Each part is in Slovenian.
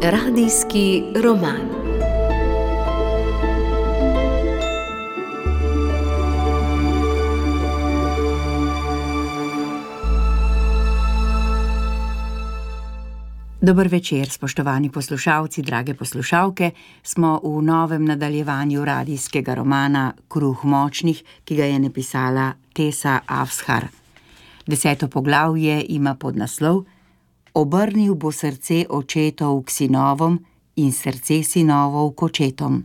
Radijski roman. Dober večer, spoštovani poslušalci, drage poslušalke. Smo v novem nadaljevanju radijskega romana Kruh močnih, ki ga je napisala Tessa Afshar. 10. poglavje ima podnaslov Obrnil bo srce očetov k sinovom in srce sinovov k očetom.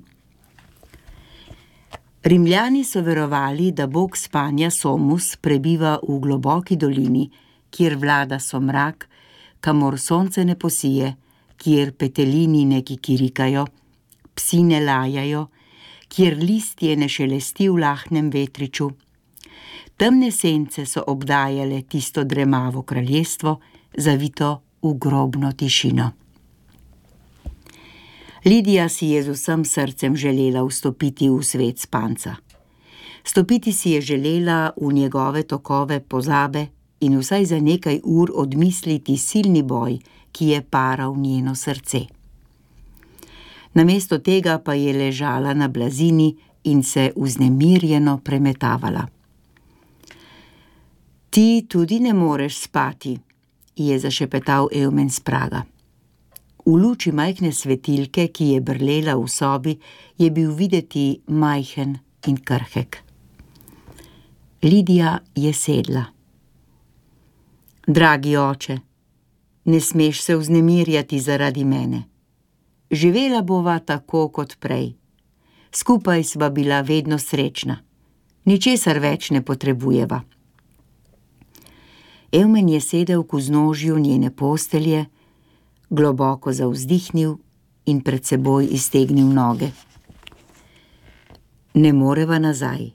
Rimljani so verovali, da bog spanja Somus prebiva v globoki dolini, kjer vlada somrak, kamor sonce ne posije, kjer petelini ne kikirikajo, psi ne lajajo, kjer listje ne šelesti v lahnem vetriču. Temne sence so obdajale tisto dremavo kraljestvo, zavito v grobno tišino. Lidija si je z vsem srcem želela vstopiti v svet spanca. Stopiti si je želela v njegove tokove pozabe in vsaj za nekaj ur odmisliti silni boj, ki je paral njeno srce. Namesto tega pa je ležala na blazini in se vznemirjeno premetavala. Ti tudi ne moreš spati, je zašepetal Eumen s praga. V luči majhne svetilke, ki je brlela v sobi, je bil videti majhen in krhek. Lidija je sedla. Dragi oče, ne smeš se vznemirjati zaradi mene. Živela bova tako kot prej. Skupaj sva bila vedno srečna. Ničesar več ne potrebujeva. Eumen je sedel k vznožju njene postelje, globoko zavzdihnil in pred seboj iztegnil noge. Ne moreva nazaj.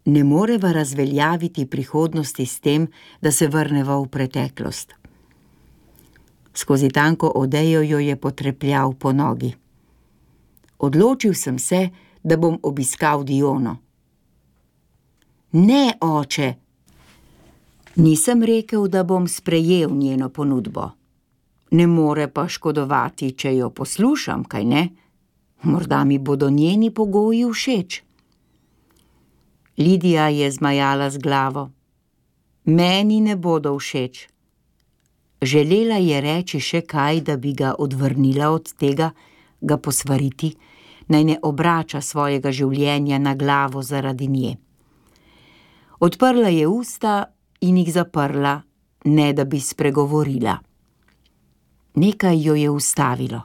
Ne moreva razveljaviti prihodnosti s tem, da se vrneva v preteklost. Skozi tanko odejo jo je potrepljal po nogi. Odločil sem se, da bom obiskal Diono. Ne, oče! Nisem rekel, da bom sprejel njeno ponudbo. Ne more pa škodovati, če jo poslušam, kaj ne? Morda mi bodo njeni pogoji všeč. Lidija je zmajala z glavo. Meni ne bodo všeč. Želela je reči še kaj, da bi ga odvrnila od tega, ga posvariti, naj ne obrača svojega življenja na glavo zaradi nje. Odprla je usta in jih zaprla, ne da bi spregovorila. Nekaj jo je ustavilo.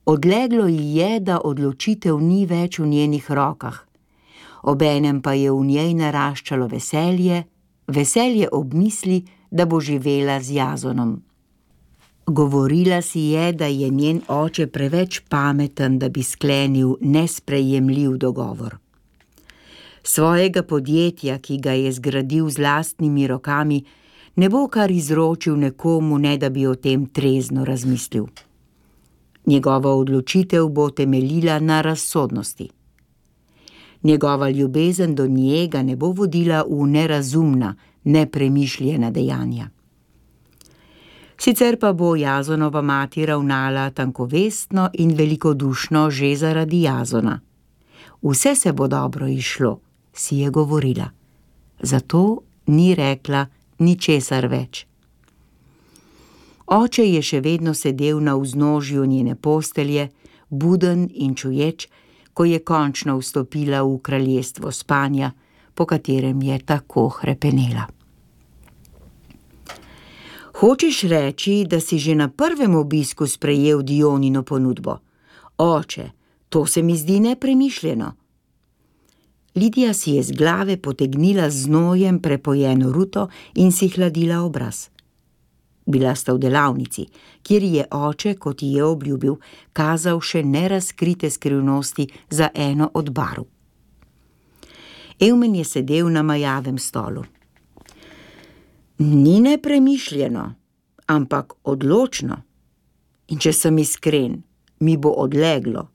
Odleglo ji je, da odločitev ni več v njenih rokah. Obenem pa je v njej naraščalo veselje ob misli, da bo živela z Jazonom. Govorila si je, da je njen oče preveč pameten, da bi sklenil nesprejemljiv dogovor. Svojega podjetja, ki ga je zgradil z lastnimi rokami, ne bo kar izročil nekomu, ne da bi o tem trezno razmislil. Njegova odločitev bo temeljila na razsodnosti. Njegova ljubezen do njega ne bo vodila v nerazumna, nepremišljena dejanja. Sicer pa bo Jazonova mati ravnala tankovestno in velikodušno že zaradi Jazona. Vse se bo dobro izšlo, si je govorila. Zato ni rekla ničesar več. Oče je še vedno sedel na vznožju njene postelje, buden in čuječ, ko je končno vstopila v kraljestvo spanja, po katerem je tako hrepenela. Hočeš reči, da si že na prvem obisku sprejel Dionino ponudbo? Oče, to se mi zdi nepremišljeno. Lidija si je z glave potegnila z znojem prepojeno ruto in si hladila obraz. Bila sta v delavnici, kjer je oče, kot ji je obljubil, kazal še nerazkrite skrivnosti za eno od barv. Eumen je sedel na majavem stolu. Ni nepremišljeno, ampak odločno. In če sem iskren, mi bo odleglo.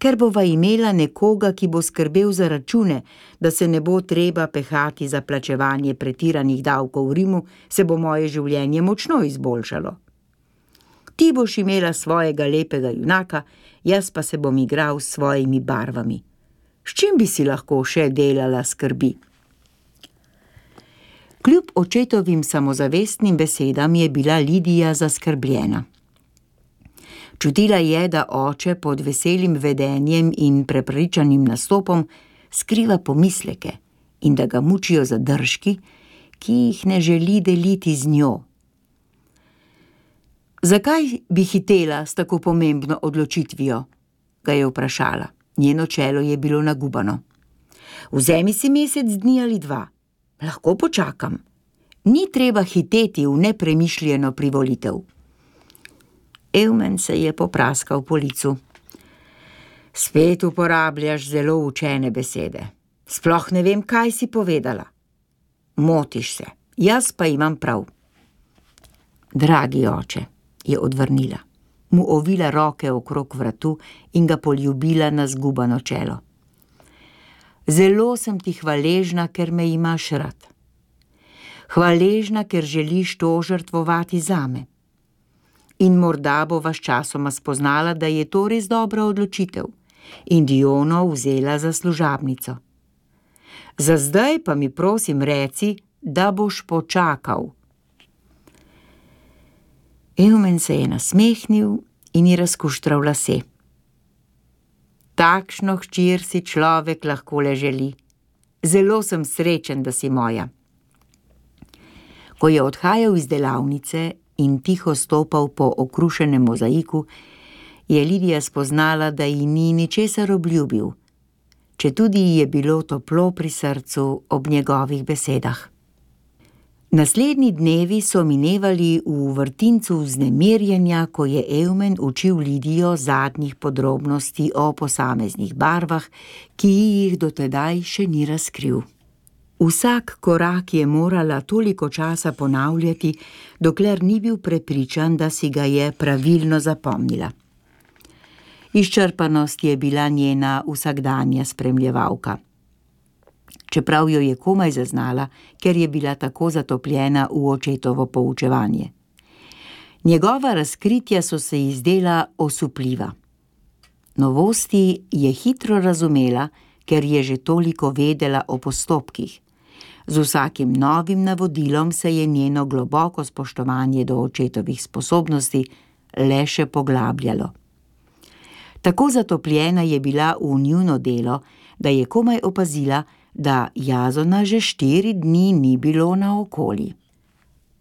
Ker bova imela nekoga, ki bo skrbel za račune, da se ne bo treba pehati za plačevanje pretiranih davkov v Rimu, se bo moje življenje močno izboljšalo. Ti boš imela svojega lepega junaka, jaz pa se bom igral s svojimi barvami. S čim bi si lahko še delala skrbi? Kljub očetovim samozavestnim besedam je bila Lidija zaskrbljena. Čutila je, da oče pod veselim vedenjem in prepričanim nastopom skriva pomisleke in da ga mučijo zadržki, ki jih ne želi deliti z njo. Zakaj bi hitela s tako pomembno odločitvijo? Ga je vprašala. Njeno čelo je bilo nagubano. Vzemi si mesec dni ali 2. Lahko počakam. Ni treba hiteti v nepremišljeno privolitev. Eumen se je popraskal po licu. Spet uporabljaš zelo učene besede. Sploh ne vem, kaj si povedala. Motiš se, jaz pa imam prav. Dragi oče, je odvrnila. Mu ovila roke okrog vratu in ga poljubila na zgubano čelo. Zelo sem ti hvaležna, ker me imaš rad. Hvaležna, ker želiš to žrtvovati zame. In morda bova sčasoma spoznala, da je to res dobra odločitev in Diono vzela za služabnico. Za zdaj pa mi prosim reci, da boš počakal. Eumen se je nasmehnil in ji razkuštral lase. Takšno hčer si človek lahko le želi. Zelo sem srečen, da si moja. Ko je odhajal iz delavnice in tiho stopal po okrušenem mozaiku, je Lidija spoznala, da ji ni ničesar obljubil, četudi ji je bilo toplo pri srcu ob njegovih besedah. Naslednji dnevi so minevali v vrtincu vznemirjenja, ko je Eumen učil Lidijo zadnjih podrobnosti o posameznih barvah, ki jih do tedaj še ni razkril. Vsak korak je morala toliko časa ponavljati, dokler ni bil prepričan, da si ga je pravilno zapomnila. Izčrpanost je bila njena vsakdanja spremljevalka. Čeprav jo je komaj zaznala, ker je bila tako zatopljena v očetovo poučevanje. Njegova razkritja so se ji zdela osupljiva. Novosti je hitro razumela, ker je že toliko vedela o postopkih. Z vsakim novim navodilom se je njeno globoko spoštovanje do očetovih sposobnosti le še poglabljalo. Tako zatopljena je bila v njuno delo, da je komaj opazila, da Jazona že 4 dni ni bilo naokoli.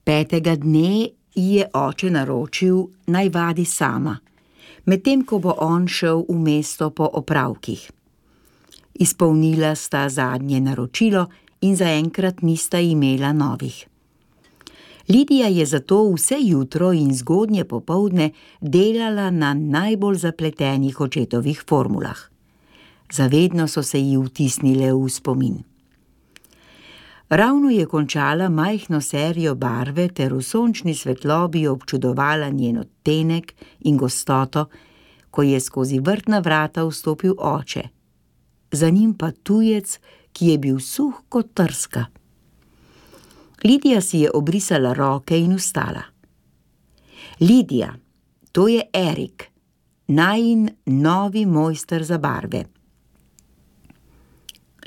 5. dne ji je oče naročil, naj vadi sama, medtem ko bo on šel v mesto po opravkih. Izpolnila sta zadnje naročilo in zaenkrat nista imela novih. Lidija je zato vse jutro in zgodnje popoldne delala na najbolj zapletenih očetovih formulah. Zavedno so se ji vtisnile v spomin. Ravno je končala majhno serijo barve ter v sončni svetlobi občudovala njen odtenek in gostoto, ko je skozi vrtna vrata vstopil oče. Za njim pa tujec, ki je bil suh kot trska. Lidija si je obrisala roke in vstala. Lidija, to je Erik, najin novi mojster za barve.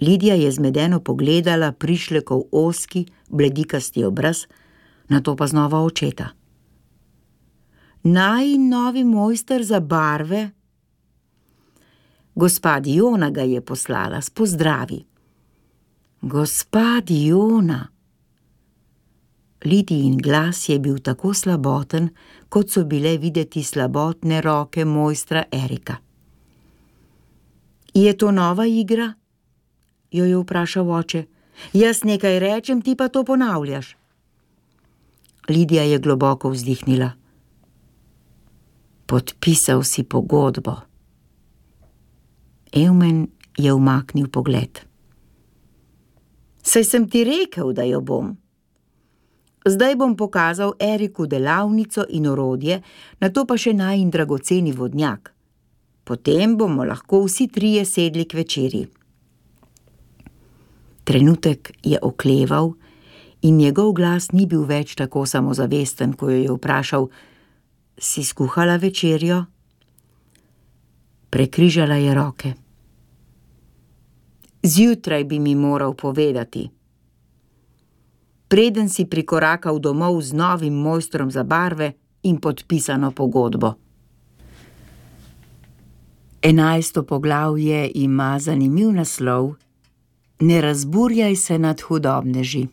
Lidija je zmedeno pogledala prišlekov ozki, bledikasti obraz, nato pa znova očeta. Najin novi mojster za barve? Gospa Diona ga je poslala s pozdravi. Gospa Diona. Lidijin glas je bil tako slaboten, kot so bile videti slabotne roke mojstra Erika. Je to nova igra? Jo je vprašal oče. Jaz nekaj rečem, ti pa to ponavljaš. Lidija je globoko vzdihnila. Podpisal si pogodbo. Eumen je umaknil pogled. Saj sem ti rekel, da jo bom. Zdaj bom pokazal Eriku delavnico in orodje, nato pa še najin dragoceni vodnjak. Potem bomo lahko vsi trije sedli k večerji. Trenutek je okleval in njegov glas ni bil več tako samozavesten, ko jo je vprašal: "Si skuhala večerjo?" Prekrižala je roke. "Zjutraj bi mi moral povedati. Preden si prikorakal domov z novim mojstrom za barve in podpisano pogodbo." 11. poglavje ima zanimiv naslov: Ne razburjaj se nad hudobneži.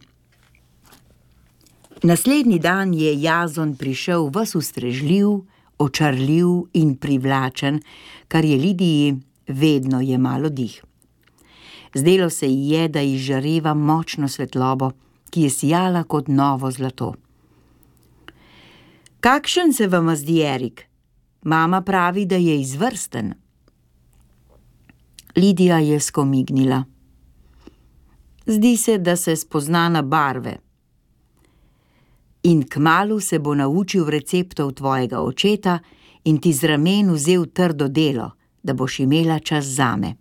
Naslednji dan je Jazon prišel ves ustrežljiv, očarljiv in privlačen, kar je Lidiji vedno jemalo dih. Zdelo se ji je, da izžareva močno svetlobo, ki je sijala kot novo zlato. "Kakšen se vama zdi Erik? Mama pravi, da je izvrsten." Lidija je skomignila. "Zdi se, da se spozna na barve. In kmalu se bo naučil receptov tvojega očeta in ti z ramen vzel trdo delo, da boš imela čas zame."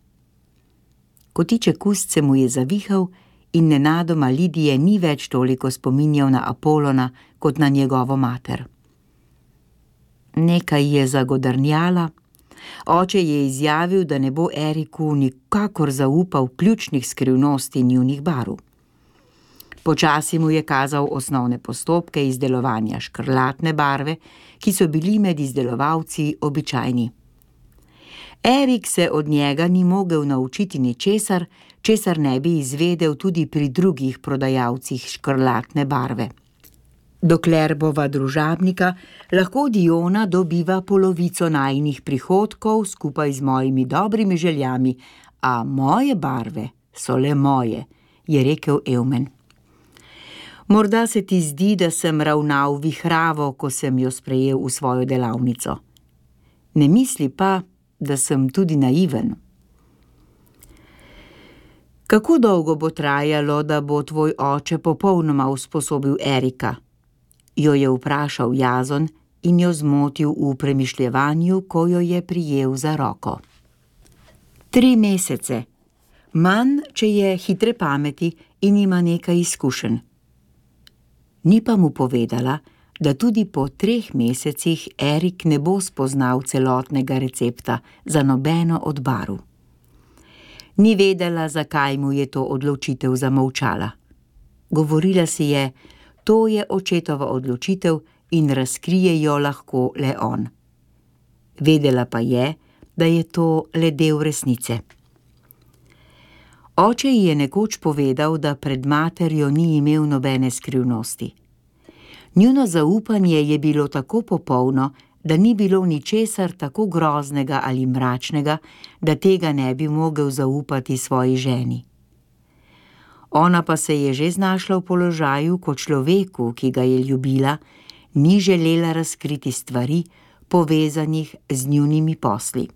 Kotiček ust se mu je zavihal in nenadoma Lidije ni več toliko spominjal na Apolona kot na njegovo mater. Nekaj je zagodrnjala. Oče je izjavil, da ne bo Eriku nikakor zaupal ključnih skrivnosti njunih barv. Počasi mu je kazal osnovne postopke izdelovanja škrlatne barve, ki so bili med izdelovalci običajni. Erik se od njega ni mogel naučiti ničesar, česar ne bi izvedel tudi pri drugih prodajalcih škrlatne barve. Dokler bova družabnika, lahko Diona dobiva polovico najinih prihodkov skupaj z mojimi dobrimi željami, a moje barve so le moje, je rekel Eumen. Morda se ti zdi, da sem ravnal vihravo, ko sem jo sprejel v svojo delavnico. Ne misli pa, da sem tudi naiven. Kako dolgo bo trajalo, da bo tvoj oče popolnoma usposobil Erika? Jo je vprašal Jazon in jo zmotil v premišljevanju, ko jo je prijel za roko. 3 mesece. Manj, če je hitre pameti in ima nekaj izkušenj. Ni pa mu povedala, da tudi po 3 mesecih Erik ne bo spoznal celotnega recepta za nobeno od barv. Ni vedela, zakaj mu je to odločitev zamolčala. Govorila si je: to je očetova odločitev in razkrije jo lahko le on. Vedela pa je, da je to le del resnice. Oče ji je nekoč povedal, da pred materjo ni imel nobene skrivnosti. Njuno zaupanje je bilo tako popolno, da ni bilo ničesar tako groznega ali mračnega, da tega ne bi mogel zaupati svoji ženi. Ona pa se je že znašla v položaju, ko človeku, ki ga je ljubila, ni želela razkriti stvari, povezanih z njunimi posli.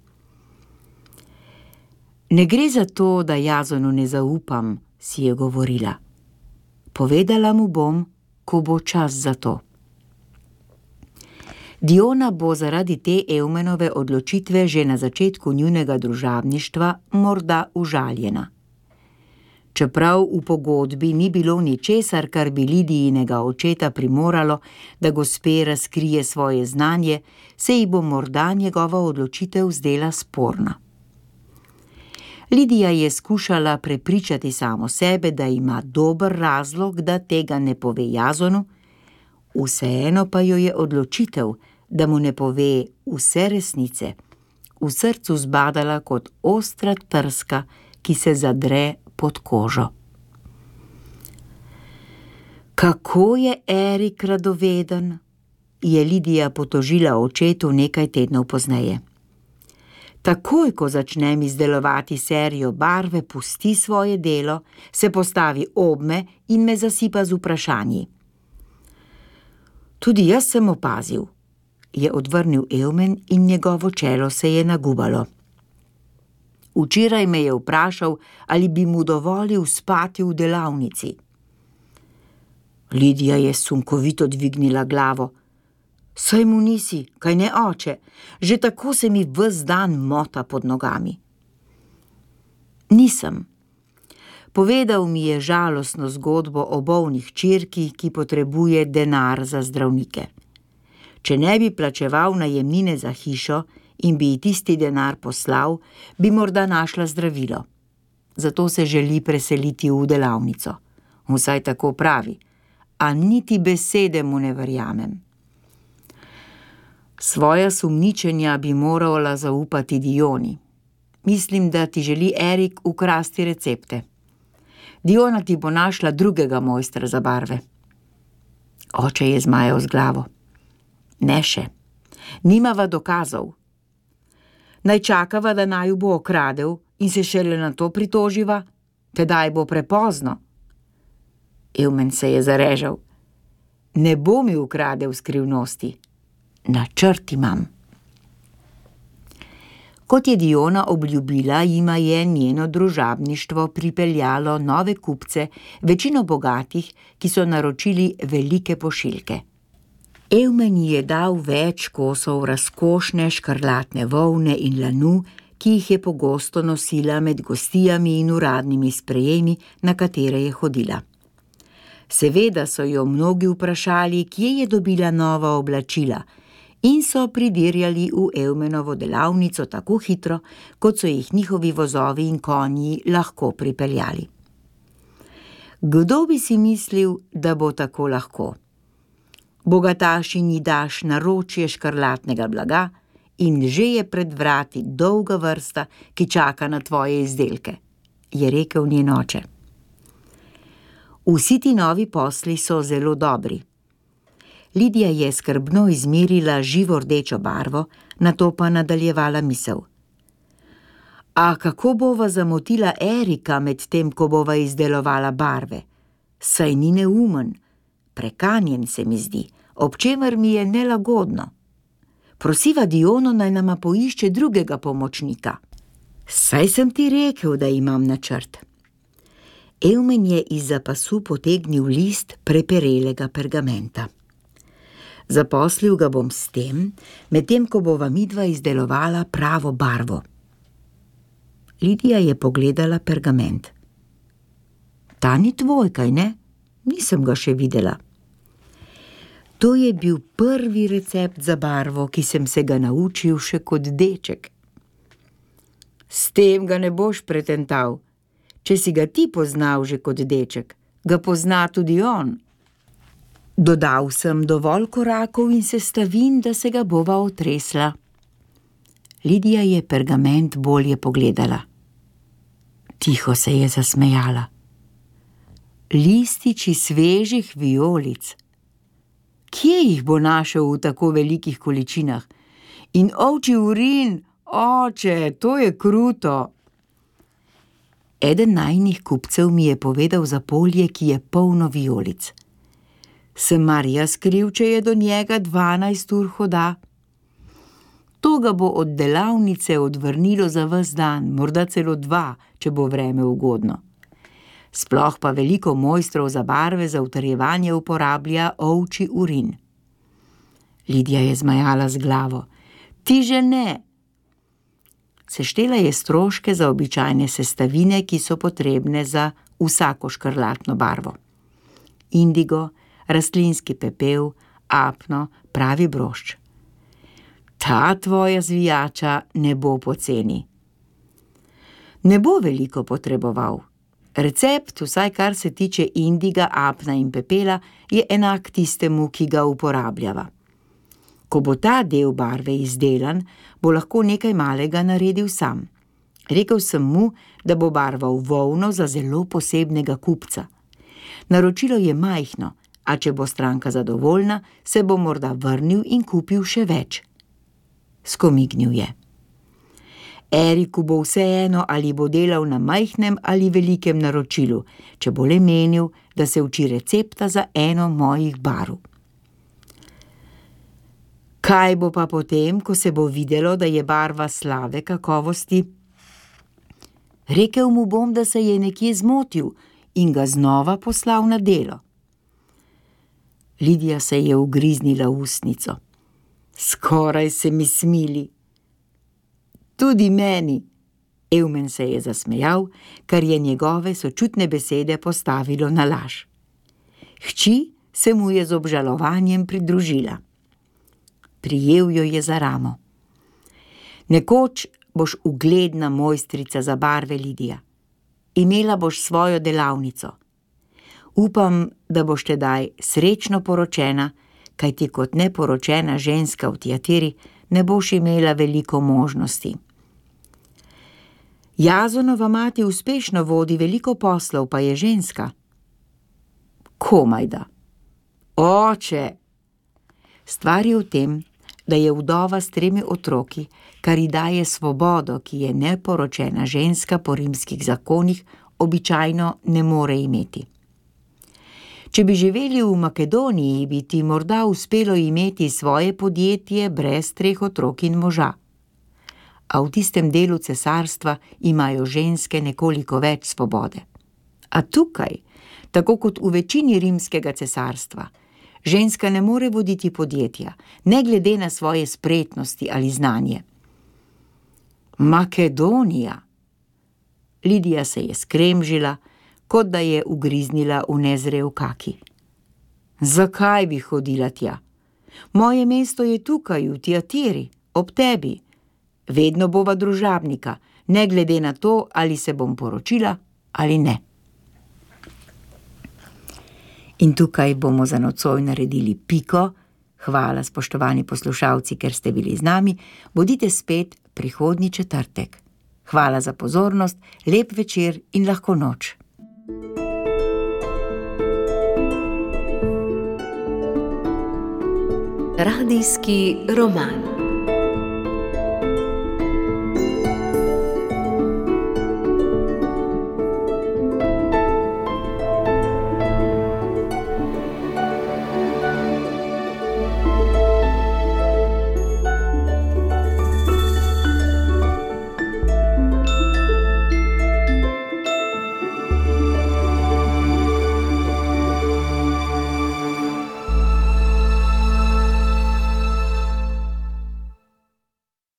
Ne gre za to, da Jazonu ne zaupam, si je govorila. Povedala mu bom, ko bo čas za to. Diona bo zaradi te Eumenove odločitve že na začetku njunega družabništva morda užaljena. Čeprav v pogodbi ni bilo ničesar, kar bi Lidijinega očeta primoralo, da gospe razkrije svoje znanje, se ji bo morda njegova odločitev zdela sporna. Lidija je skušala prepričati samo sebe, da ima dober razlog, da tega ne pove Jazonu, vseeno pa jo je odločitev, da mu ne pove vse resnice, v srcu zbadala kot ostra trska, ki se zadre pod kožo. Kako je Erik radoveden, je Lidija potožila očetu nekaj tednov pozneje. Takoj, ko začnem izdelovati serijo barve, pusti svoje delo, se postavi obme in me zasipa z vprašanji. Tudi jaz sem opazil, je odvrnil Eumen in njegovo čelo se je nagubalo. Včeraj me je vprašal, ali bi mu dovolil spati v delavnici. Lidija je sunkovito dvignila glavo. Saj mu nisi, kaj ne, oče, že tako se mi ves dan mota pod nogami. Nisem. Povedal mi je žalostno zgodbo o bolni hčerki, ki potrebuje denar za zdravnike. Če ne bi plačeval najemnine za hišo in bi ji tisti denar poslal, bi morda našla zdravilo. Zato se želi preseliti v delavnico. Vsaj tako pravi, a niti besede mu ne verjamem. Svoja sumničenja bi morala zaupati Dioni. Mislim, da ti želi Erik ukrasti recepte. Diona ti bo našla drugega mojstra za barve. Oče je zmajal z glavo. Ne še. Nimava dokazov. Naj čakava, da naju bo okradel in se šele na to pritoživa, tedaj bo prepozno. Eumen se je zarežal. Ne bo mi ukradel skrivnosti. Načrt imam. Kot je Diona obljubila, jima je njeno družabništvo pripeljalo nove kupce, večino bogatih, ki so naročili velike pošiljke. Eumen ji je dal več kosov razkošne škrlatne volne in lanu, ki jih je pogosto nosila med gostijami in uradnimi sprejemi, na katere je hodila. Seveda so jo mnogi vprašali, kje je dobila nova oblačila, in so pridirjali v Eumenovo delavnico tako hitro, kot so jih njihovi vozovi in konji lahko pripeljali. Kdo bi si mislil, da bo tako lahko? Bogatašinji daš naročje škrlatnega blaga in že je pred vrati dolga vrsta, ki čaka na tvoje izdelke, je rekel njen oče. Vsi ti novi posli so zelo dobri. Lidija je skrbno izmerila živo rdečo barvo, nato pa nadaljevala misel. A kako bova zamotila Erika med tem, ko bova izdelovala barve? Saj ni neumen, prekanjen se mi zdi, ob čemer mi je nelagodno. Prosiva Diono, naj nama poišče drugega pomočnika. Saj sem ti rekel, da imam načrt. Eumen je izza pasu potegnil list preperelega pergamenta. Zaposlil ga bom s tem, medtem ko bova midva izdelovala pravo barvo. Lidija je pogledala pergament. Ta ni tvoj, kaj ne? Nisem ga še videla. To je bil prvi recept za barvo, ki sem se ga naučil še kot deček. S tem ga ne boš pretental. Če si ga ti poznal že kot deček, ga pozna tudi on. Dodal sem dovolj korakov in sestavin, da se ga bova otresla. Lidija je pergament bolje pogledala. Tiho se je zasmejala. Lističi svežih vijolic. Kje jih bo našel v tako velikih količinah? In ovčji urin, oče, to je kruto. Eden najinih kupcev mi je povedal za polje, ki je polno vijolic. Sem mar jaz kriv, če je do njega 12 ur hoda? To ga bo od delavnice odvrnilo za ves dan, morda celo 2, če bo vreme ugodno. Sploh pa veliko mojstrov za barve za utrjevanje uporablja ovčji urin. Lidija je zmajala z glavo. Ti že ne. Seštela je stroške za običajne sestavine, ki so potrebne za vsako škrlatno barvo. Indigo, rastlinski pepel, apno, pravi brošč. Ta tvoja zvijača ne bo poceni. Ne bo veliko potreboval. Recept, vsaj kar se tiče indiga, apna in pepela, je enak tistemu, ki ga uporabljava. Ko bo ta del barve izdelan, bo lahko nekaj malega naredil sam. Rekel sem mu, da bo barval volno za zelo posebnega kupca. Naročilo je majhno, a če bo stranka zadovoljna, se bo morda vrnil in kupil še več. Skomignil je. Eriku bo vseeno, ali bo delal na majhnem ali velikem naročilu, če bo le menil, da se uči recepta za eno mojih barv. Kaj bo pa potem, ko se bo videlo, da je barva slabe kakovosti? Rekel mu bom, da se je nekje zmotil in ga znova poslal na delo. Lidija se je ugriznila v ustnico. Skoraj se mi smili. Tudi meni. Evmen se je zasmejal, kar je njegove sočutne besede postavilo na laž. Hči se mu je z obžalovanjem pridružila. Prijel jo je za ramo. Nekoč boš ugledna mojstrica za barve, Lidija. Imela boš svojo delavnico. Upam, da boš tedaj srečno poročena, kajti kot neporočena ženska v Tiatiri ne boš imela veliko možnosti. Jazonova mati uspešno vodi veliko poslov, pa je ženska. Komajda. Oče! Stvar je v tem, da je vdova s 3 otroki, kar ji daje svobodo, ki je neporočena ženska po rimskih zakonih običajno ne more imeti. Če bi živeli v Makedoniji, bi ti morda uspelo imeti svoje podjetje brez 3 otrok in moža. A v tistem delu cesarstva imajo ženske nekoliko več svobode. A tukaj, tako kot v večini rimskega cesarstva, ženska ne more voditi podjetja, ne glede na svoje spretnosti ali znanje. Makedonija! Lidija se je skremžila, kot da je ugriznila v nezrel kaki. Zakaj bi hodila tja? Moje mesto je tukaj, v Tiatiri, ob tebi. Vedno bova družabnika, ne glede na to, ali se bom poročila ali ne. In tukaj bomo za nocoj naredili piko. Hvala, spoštovani poslušalci, ker ste bili z nami. Bodite spet prihodnji četrtek. Hvala za pozornost, lep večer in lahko noč. Radijski roman.